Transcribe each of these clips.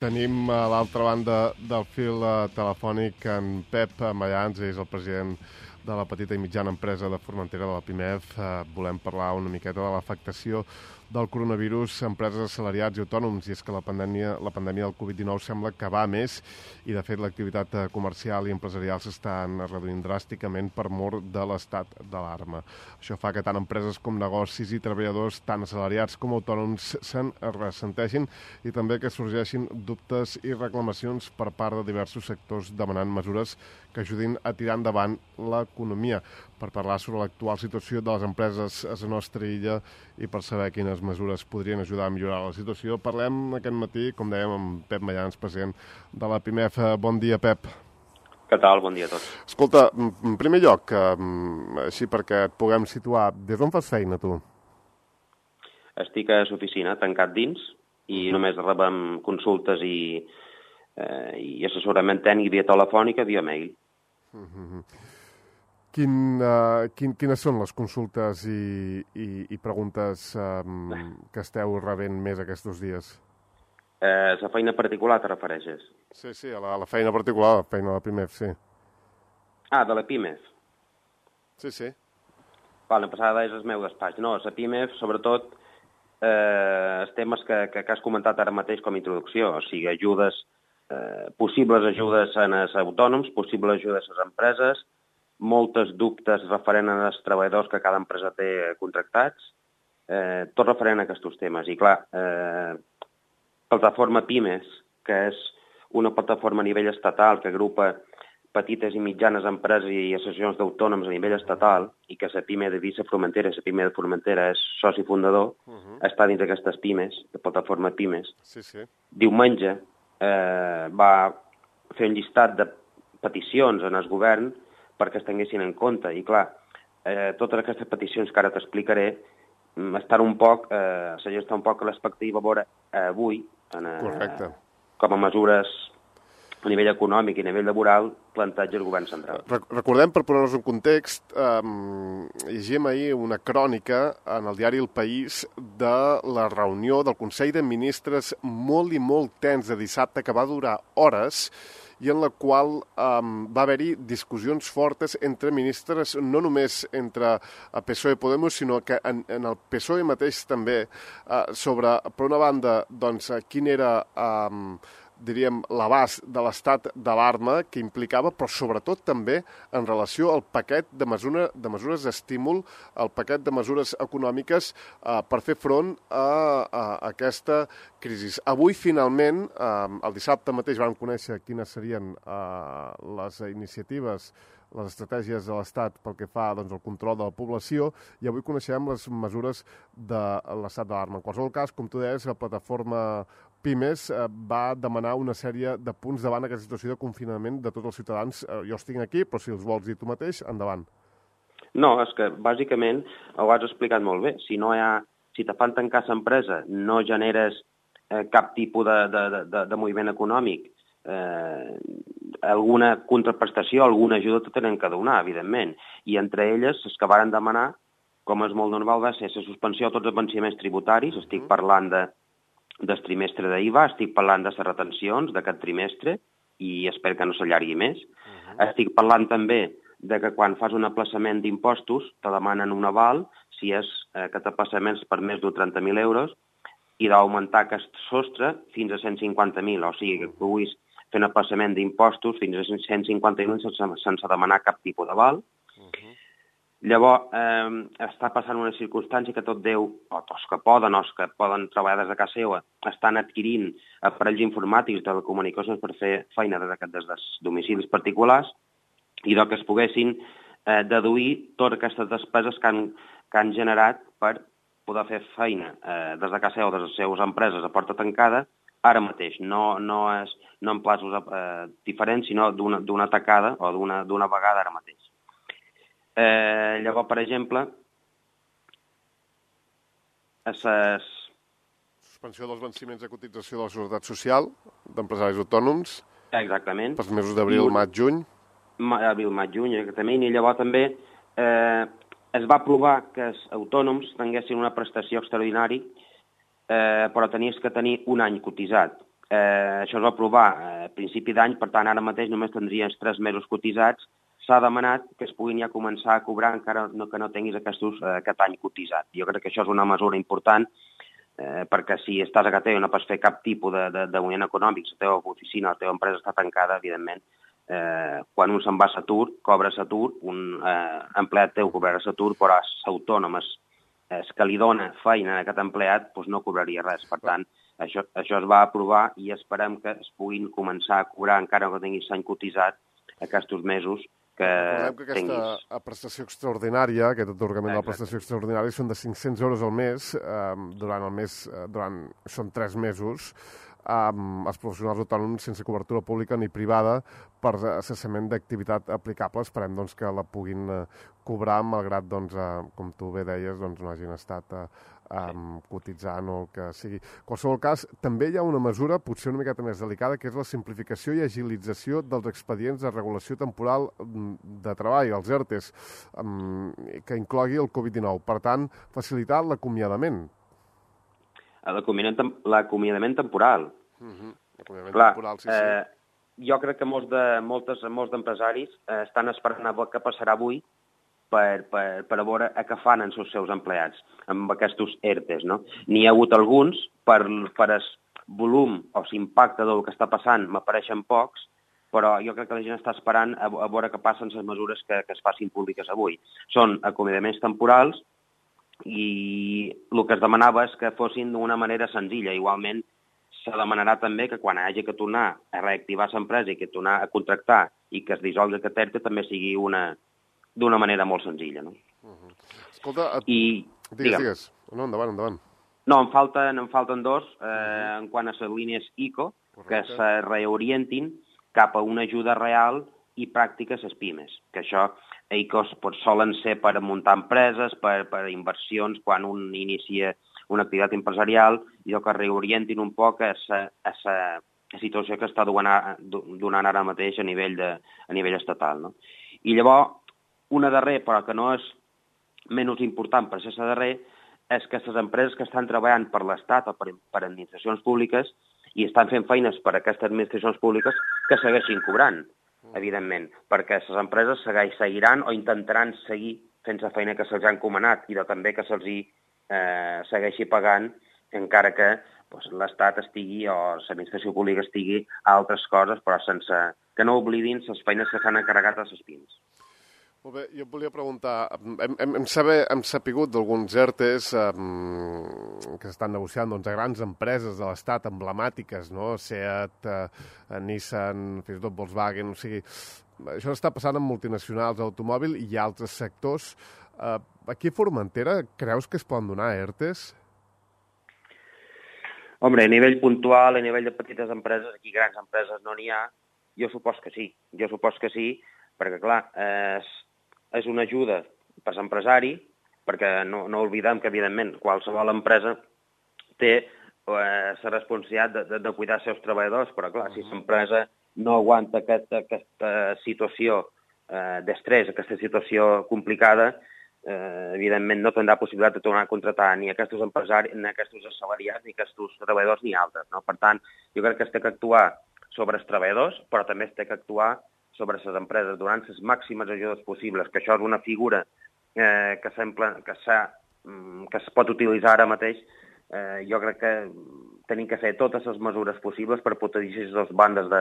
Tenim a l'altra banda del fil telefònic en Pep Mayans, és el president de la petita i mitjana empresa de Formentera, de la PIMEF. Volem parlar una miqueta de l'afectació del coronavirus a empreses, assalariats i autònoms, i és que la pandèmia del Covid-19 sembla que va més i, de fet, l'activitat comercial i empresarial s'estan reduint dràsticament per mor de l'estat d'alarma. Això fa que tant empreses com negocis i treballadors, tant assalariats com autònoms, se'n ressentegin i també que sorgeixin dubtes i reclamacions per part de diversos sectors demanant mesures que ajudin a tirar endavant l'economia. Per parlar sobre l'actual situació de les empreses a la nostra illa i per saber quines mesures podrien ajudar a millorar la situació, parlem aquest matí, com dèiem, amb Pep Mayans, president de la PIMEF. Bon dia, Pep. Què tal? Bon dia a tots. Escolta, en primer lloc, així perquè et puguem situar, des d'on fas feina, tu? Estic a l'oficina, tancat dins, i només rebem consultes i assessorament tècnic via telefònica, via mail. Quines són les consultes i preguntes que esteu rebent més aquests dies? La feina particular te refereixes? Sí, a la feina particular, la feina de la PIMEF, sí. Ah, de la PIMEF? Sí. Vale, passada és el meu despatx. No, la PIMEF, sobretot, els temes que has comentat ara mateix com a introducció, o sigui, ajudes, possibles ajudes als autònoms, possibles ajudes a les empreses, moltes dubtes referent als treballadors que cada empresa té contractats, tot referent a aquests temes. I clar, plataforma PIMES, que és una plataforma a nivell estatal que agrupa petites i mitjanes empreses i associacions d'autònoms a nivell estatal, i que la PIME de Vissa Formentera, la PIME de Formentera és soci fundador, està dins d'aquestes PIMES, de plataforma PIMES. Sí. Diumenge va fer un llistat de peticions en el govern perquè es tinguessin en compte. I clar, totes aquestes peticions que ara t'explicaré estan un poc, la gent està un poc a l'expectativa a veure avui, Correcte. Com a mesures a nivell econòmic i a nivell laboral, planteja el govern central. Recordem, per posar-nos un context, llegim ahir una crònica en el diari El País de la reunió del Consell de Ministres molt i molt tens de dissabte, que va durar hores, i en la qual va haver-hi discussions fortes entre ministres, no només entre PSOE i Podemos, sinó que en el PSOE mateix també, sobre, per una banda, doncs, quin era diríem, l'abast de l'estat d'alarma que implicava, però sobretot també en relació al paquet de mesures d'estímul, al paquet de mesures econòmiques per fer front a aquesta crisi. Avui, finalment, el dissabte mateix vam conèixer quines serien les iniciatives, les estratègies de l'Estat pel que fa al control de la població, i avui coneixem les mesures de l'estat d'alarma. En qualsevol cas, com tu deies, la plataforma PIMES va demanar una sèrie de punts davant aquesta situació de confinament de tots els ciutadans. Jo els tinc aquí, però si els vols dir tu mateix, endavant. No, és que bàsicament ho has explicat molt bé. Si te fan tancar l'empresa, no generes cap tipus de moviment econòmic, alguna contraprestació, alguna ajuda te tenen que donar, evidentment. I entre elles, les que varen demanar, com és molt normal, va ser la suspensió de tots els venciments tributaris. Estic parlant del trimestre d'IVA, estic parlant de les retencions d'aquest trimestre, i espero que no s'allargui més. Estic parlant també de que quan fas un aplaçament d'impostos te demanen un aval, si és aquest aplaçament per més de 30.000 euros, i d'augmentar aquest sostre fins a 150.000, o sigui que puguis fer un aplaçament d'impostos fins a 150.000 sense demanar cap tipus d'aval. Llavors, està passant una circumstància que tot Déu, o els que poden treballar des de casa seva, estan adquirint aparells informàtics de comunicacions per fer feina des dels domicilis particulars, i que es poguessin deduir totes aquestes despeses que han generat per poder fer feina des de casa seva o des de les seves empreses a porta tancada ara mateix. No en plaços diferents, sinó d'una tacada o d'una vegada ara mateix. Llavors, per exemple, suspensió dels venciments de cotització de la Seguretat Social d'empresaris autònoms. Exactament. Pels mesos d'abril, maig, juny. Abril, maig, juny, exactament. I llavors també es va aprovar que els autònoms tinguessin una prestació extraordinària, però tenies que tenir un any cotitzat. Això es va aprovar a principi d'any, per tant, ara mateix només tindries 3 mesos cotitzats. S'ha demanat que es puguin ja començar a cobrar encara que no tinguis aquest any cotitzat. Jo crec que això és una mesura important, perquè si estàs a casa teva i no pots fer cap tipus de moviment econòmic, la teva oficina, la teva empresa està tancada, evidentment, quan un se'n va a l'atur, cobra l'atur, un empleat teu cobrarà l'atur, però l'autònom que li dona feina a aquest empleat doncs no cobraria res. Per tant, això es va aprovar i esperem que es puguin començar a cobrar, encara que tinguis l'any cotitzat, aquests mesos que recordem que aquesta tinguis. prestació extraordinària, aquest atorgament de la prestació extraordinària, són de 500 euros al mes, són 3 mesos, els professionals autònoms sense cobertura pública ni privada per cessament d'activitat aplicable. Esperem doncs, que la puguin cobrar, malgrat, doncs, com tu bé deies, doncs, no hagin estat cotitzant o el que sigui. En qualsevol cas, també hi ha una mesura potser una miqueta més delicada, que és la simplificació i agilització dels expedients de regulació temporal de treball, els ERTEs, que inclogui el Covid-19. Per tant, facilitar l'acomiadament. L'acomiadament temporal. L'acomiadament Clar, temporal, sí. Jo crec que molts d'empresaris estan esperant a veure què passarà avui per a veure què fan els seus empleats amb aquests ERTEs, no? N'hi ha hagut alguns, per el volum o l'impacte del que està passant, m'apareixen pocs, però jo crec que la gent està esperant a veure què passen les mesures que es facin públiques avui. Són acomiadaments temporals i el que es demanava és que fossin d'una manera senzilla. Igualment, se demanarà també que quan hagi que tornar a reactivar l'empresa i que tornar a contractar i que es dissolgui aquest ERTE també sigui d'una manera molt senzilla, no? Escolta, digues. No, endavant. No, em falten dos, en quant a les línies ICO, que se reorientin cap a una ajuda real i pràctica a les pimes, que això ICOs solen ser per muntar empreses, per inversions, quan un inicia una activitat empresarial, i que reorientin un poc a la situació que està donant ara mateix a nivell estatal, no? I llavors, una darrera, però que no és menys important per ser la darrera, és que les empreses que estan treballant per l'Estat o per administracions públiques i estan fent feines per a aquestes administracions públiques que segueixin cobrant, evidentment, perquè les empreses seguiran o intentaran seguir fent la feina que se'ls ha encomanat i també que se'ls segueixi pagant, encara que l'Estat estigui o l'administració pública estigui a altres coses, però sense que no oblidin les feines que s'han encarregat a les pimes. Molt bé, jo et volia preguntar, hem sapigut d'alguns ERTEs que s'estan negociant a grans empreses de l'Estat emblemàtiques, no? SEAT, Nissan, fins i tot Volkswagen, o sigui, això està passant amb multinacionals d'automòbil i altres sectors. Aquí a Formentera creus que es poden donar ERTEs? Home, a nivell puntual, a nivell de petites empreses, aquí grans empreses no n'hi ha, jo supos que sí, perquè clar, és una ajuda per l'empresari, perquè no oblidem que, evidentment, qualsevol empresa té la responsabilitat de cuidar els seus treballadors, però clar, si l'empresa no aguanta aquesta situació d'estrès, aquesta situació complicada, evidentment no tindrà possibilitat de tornar a contractar ni aquests empresaris, ni aquests assalariats, ni aquests treballadors, ni altres, no? Per tant, jo crec que es té que actuar sobre els treballadors, però també es té que actuar sobre les empreses, donant les màximes ajudes possibles, que això és una figura que es pot utilitzar ara mateix. Jo crec que tenim que fer totes les mesures possibles per protegir les dues bandes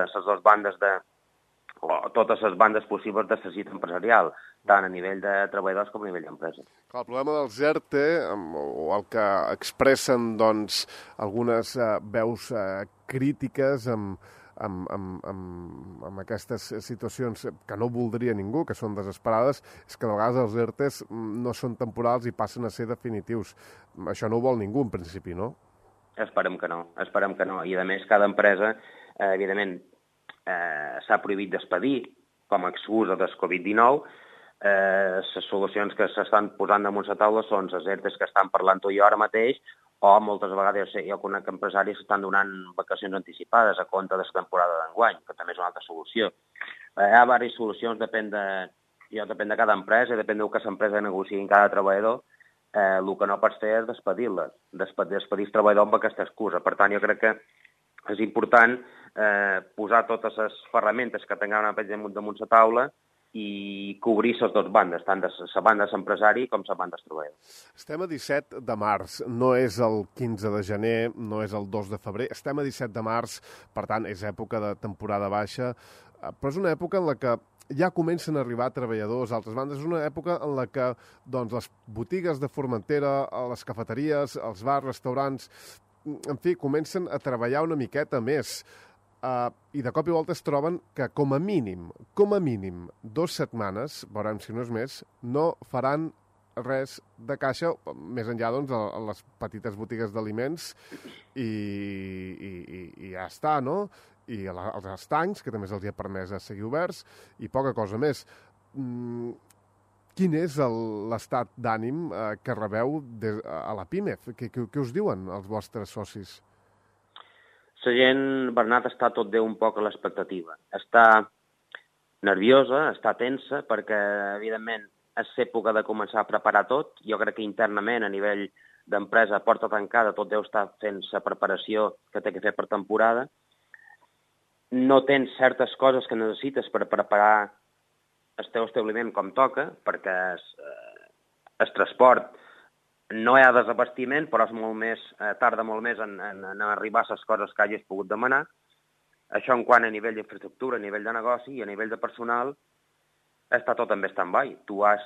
totes les bandes possibles de la cita empresarial, tant a nivell de treballadors com a nivell d'empresa. El problema dels ERTE, o el que expressen doncs, algunes veus crítiques amb aquestes situacions que no voldria ningú, que són desesperades, és que de vegades els ERTEs no són temporals i passen a ser definitius. Això no ho vol ningú, en principi, no? Esperem que no. I, a més, cada empresa, evidentment, s'ha prohibit despedir com a excusa del Covid-19. Les solucions que s'estan posant damunt la taula són les ERTEs que estan parlant tu i jo ara mateix, o moltes vegades jo conec empresaris que estan donant vacacions anticipades a compte de la temporada d'enguany, que també és una altra solució. Hi ha diverses solucions, depèn de cada empresa, depèn del que l'empresa negociï amb cada treballador. El que no pots fer és despedir-les, despedir el treballador amb aquesta excusa. Per tant, jo crec que és important posar totes les ferramentes que tinguem damunt la taula i cobrir les dues bandes, tant de la banda de l'empresari com la banda del treballador. Estem a 17 de març, no és el 15 de gener, no és el 2 de febrer, estem a 17 de març, per tant, és època de temporada baixa, però és una època en la que ja comencen a arribar treballadors a altres bandes, és una època en la que doncs, les botigues de Formentera, les cafeteries, els bars, restaurants, en fi, comencen a treballar una miqueta més. I de cop i volta es troben que com a mínim, 2 setmanes, veurem si no és més, no faran res de caixa, més enllà doncs, a les petites botigues d'aliments i ja està, no? I als estancs, que també se'ls ha permès a seguir oberts, i poca cosa més. Quin és l'estat d'ànim que rebeu a la PIMEF? Què us diuen els vostres socis? La gent, Bernat, està tot Déu un poc a l'expectativa. Està nerviosa, està tensa, perquè, evidentment, és època de començar a preparar tot. Jo crec que internament, a nivell d'empresa, a porta tancada, tot Déu està fent la preparació que té que fer per temporada. No tens certes coses que necessites per preparar el teu establiment com toca, perquè el transport no hi ha desabastiment, però és molt més, tarda molt més en arribar a les coses que hagis pogut demanar. Això en quant a nivell d'infraestructura, a nivell de negoci i a nivell de personal, està tot en stand-by. Tu has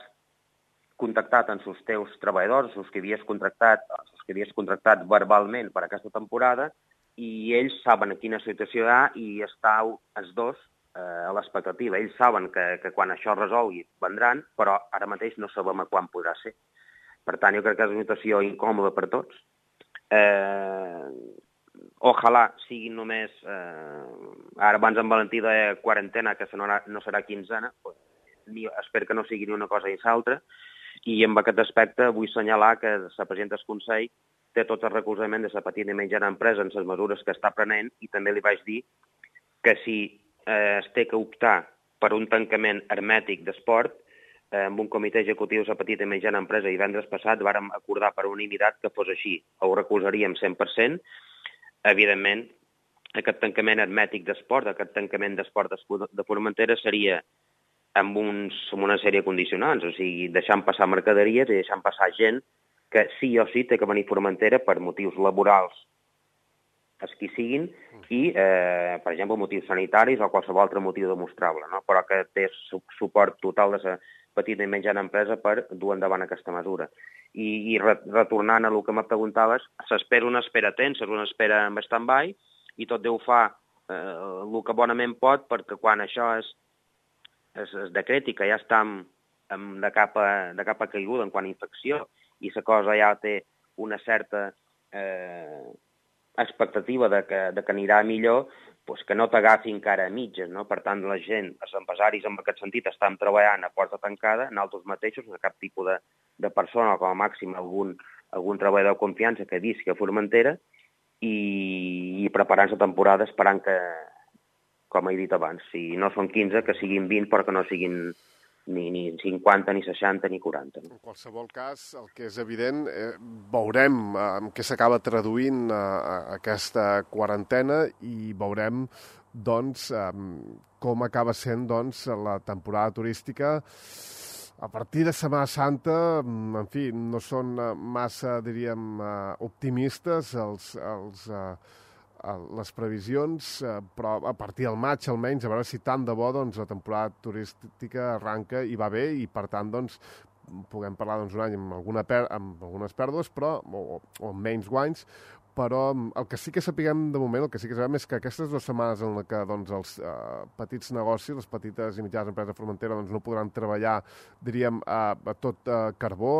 contactat amb els teus treballadors, els que havies contractat verbalment per aquesta temporada, i ells saben en quina situació hi ha i estàu els dos a l'expectativa. Ells saben que quan això es resolgui vendran, però ara mateix no sabem a quan podrà ser. Per tant, jo crec que és una situació incòmoda per tots. Ojalà siguin només... ara abans en Valentí de quarantena, que no serà quinzena, espero que no sigui ni una cosa ni l'altra, i en aquest aspecte vull assenyalar que la presidenta del Consell té tot el recolzament de la petita i mitjana empresa en les mesures que està prenent, i també li vaig dir que si es té que optar per un tancament hermètic d'esport, amb un comitè executiu de la petita i mitjana empresa divendres passat vàrem acordar per unanimitat que fos així. Ho recolzaríem 100%. Evidentment, aquest tancament hermètic d'esport, aquest tancament d'esport de Formentera seria amb una sèrie de condicionants, o sigui, deixant passar mercaderies i deixant passar gent que sí o sí té que venir a Formentera per motius laborals, els que siguin, i, per exemple, motius sanitaris o qualsevol altre motiu demostrable, no? Però que té suport total de la petita i mitjana empresa per dur endavant aquesta mesura. I retornant a el que me preguntaves, s'espera una espera tensa, una espera amb stand-by, i tot Déu fa el que bonament pot, perquè quan això es decreti que ja estem de capa caiguda en quant a infecció i la cosa ja té una certa expectativa de que anirà millor, doncs que no t'agafi encara a mitges, no? Per tant, la gent, els empresaris en aquest sentit, estan treballant a porta tancada, nosaltres mateixos, no cap tipus de persona, o com a màxim algun treballador de confiança que visqui a Formentera, i preparant la temporada esperant que, com he dit abans, si no són 15, que siguin 20, però que no siguin ni 50, ni 60, ni 40. No? En qualsevol cas, el que és evident, veurem en què s'acaba traduint aquesta quarantena i veurem doncs, com acaba sent doncs, la temporada turística. A partir de Setmana Santa, en fi, no són massa, diríem, optimistes les previsions, però a partir del maig almenys, a veure si tant de bo doncs, la temporada turística arranca i va bé, i per tant doncs, puguem parlar doncs, un any amb algunes pèrdues, però, o amb menys guanys, però el que sí que sapiguem de moment, el que sí que sabem és que aquestes 2 setmanes en què doncs, els petits negocis, les petites i mitjanes empreses de Formentera doncs, no podran treballar, diríem, a tot carbó,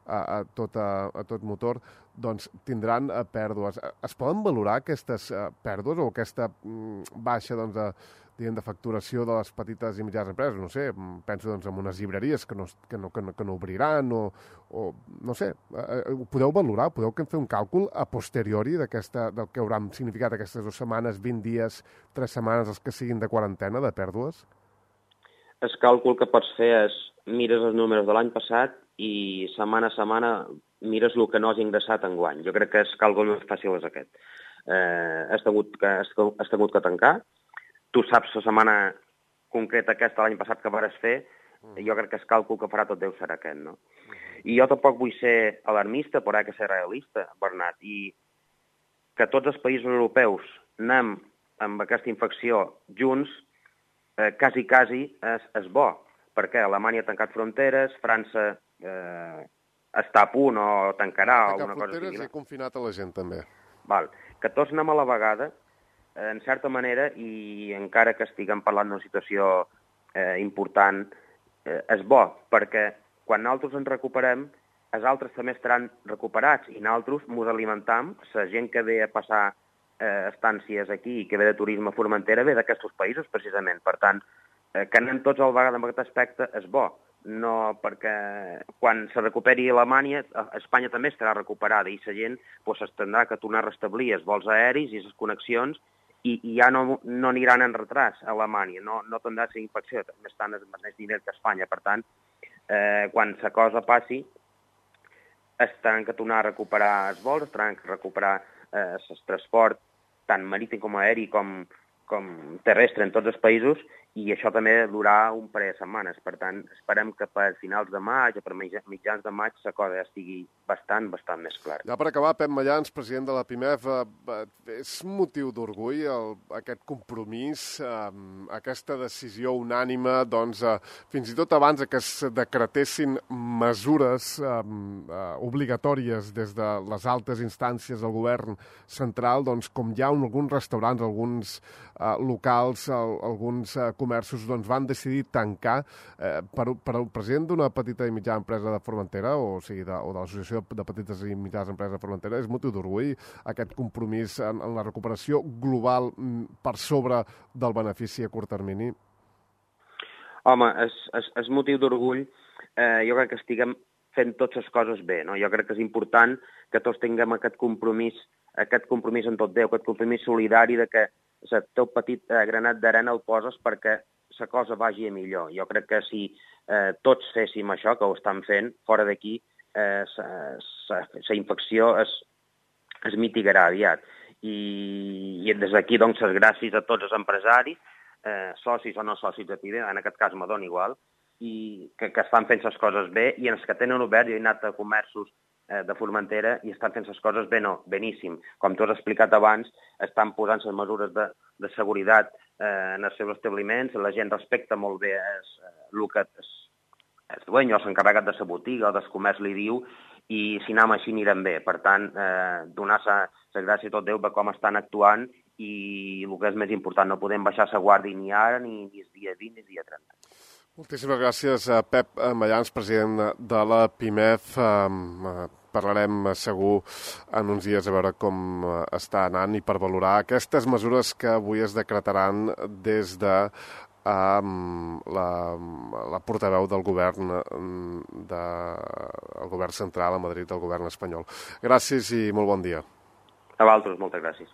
a tot motor, doncs tindran pèrdues. Es poden valorar aquestes pèrdues o aquesta baixa doncs, de facturació de les petites i mitjanes empreses? No sé, penso doncs, en unes llibreries que no obriran o no sé, ho podeu valorar? Podeu fer un càlcul a posteriori del que hauran significat aquestes 2 setmanes, 20 dies, 3 setmanes, els que siguin de quarantena, de pèrdues? El càlcul que pots fer és mires els números de l'any passat i setmana a setmana mires el que no has ingressat enguany. Jo crec que el càlcul més fàcil és aquest. has hagut que tancar. Tu saps la setmana concreta aquesta l'any passat que vares fer, jo crec que el càlcul que farà tot Déu serà aquest, no? I jo tampoc vull ser alarmista, però que ser realista, Bernat, i que tots els països europeus anem amb aquesta infecció junts, quasi és bo, perquè Alemanya ha tancat fronteres, França està a punt o tancarà o alguna cosa així. I ha confinat a la gent també. Val. Que tots anem a la vegada, en certa manera, i encara que estiguem parlant d'una situació important, és bo, perquè quan nosaltres ens recuperem, els altres també estaran recuperats i nosaltres ens alimentam, la gent que ve a passar estàncies aquí i que ve de turisme a Formentera ve d'aquests països, precisament. Per tant, que anem tots a la vegada amb aquest aspecte és bo, no perquè quan se recuperi Alemanya, Espanya també estarà recuperada i la gent s'haurà que tornar a restablir els vols aeris i les connexions i ja no aniran en retras a Alemanya, no tindrà la infecció, també estan al mateix nivell que Espanya. Per tant, quan la cosa passi, estaran que tornar a recuperar els vols, estaran que recuperar el transport tant marítim com aeri com terrestre en tots els països, i això també durarà un parell de setmanes. Per tant, esperem que per finals de maig o per mitjans de maig la cosa ja estigui bastant més clara. Ja per acabar, Pep Mallans, president de la PIMEF, és motiu d'orgull aquest compromís, aquesta decisió unànime, doncs, fins i tot abans que es decretessin mesures obligatòries des de les altes instàncies del govern central, doncs, com hi ha alguns restaurants, alguns locals, alguns comerços van decidir tancar. Per al president d'una petita i mitjana empresa de Formentera, o sigui, de l'Associació de Petites i Mitjanes Empreses de Formentera, és motiu d'orgull aquest compromís en la recuperació global per sobre del benefici a curt termini? Home, és motiu d'orgull. Jo crec que estiguem fent totes les coses bé, no? Jo crec que és important que tots tinguem aquest compromís en tot Déu, aquest compromís solidari de que el teu petit granat d'arena el poses perquè la cosa vagi a millor. Jo crec que si tots féssim això, que ho estan fent, fora d'aquí, la infecció es mitigarà aviat. I des d'aquí, doncs, les gràcies a tots els empresaris, socis o no socis de PIMEF, en aquest cas m'adona igual, i que estan fent les coses bé, i els que tenen obert, jo he anat a comerços de Formentera i estan fent les coses bé, no, beníssim. Com tu has explicat abans, estan posant les mesures de seguretat en els seus establiments, la gent respecta molt bé el que el dueño, l'encarregat de la botiga o del comerç li diu, i si anem així anirem bé. Per tant, donar la gràcia a tot Déu per com estan actuant, i el que és més important, no podem baixar la guàrdia ni ara, ni el dia 20, ni el dia 30. Moltíssimes gràcies, Pep Mallans, president de la PIMEF. Parlarem segur en uns dies a veure com està anant i per valorar aquestes mesures que avui es decretaran des de la portaveu del govern central a Madrid, del govern espanyol. Gràcies i molt bon dia. A vosaltres, moltes gràcies.